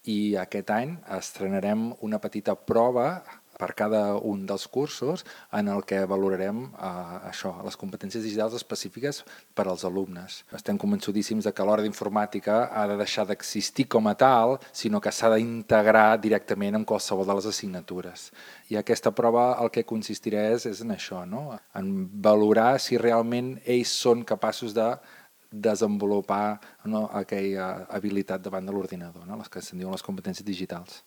i aquest any estrenarem una petita prova per cada un dels cursos en el que valorarem les competències digitals específiques per als alumnes. Estem convençudíssims que l'hora d'informàtica ha de deixar d'existir com a tal, sinó que s'ha d'integrar directament en qualsevol de les assignatures. I aquesta prova el que consistirà és en això, no? En valorar si realment ells són capaços de desenvolupar aquella habilitat davant de l'ordinador, no? Les que se'n diuen les competències digitals.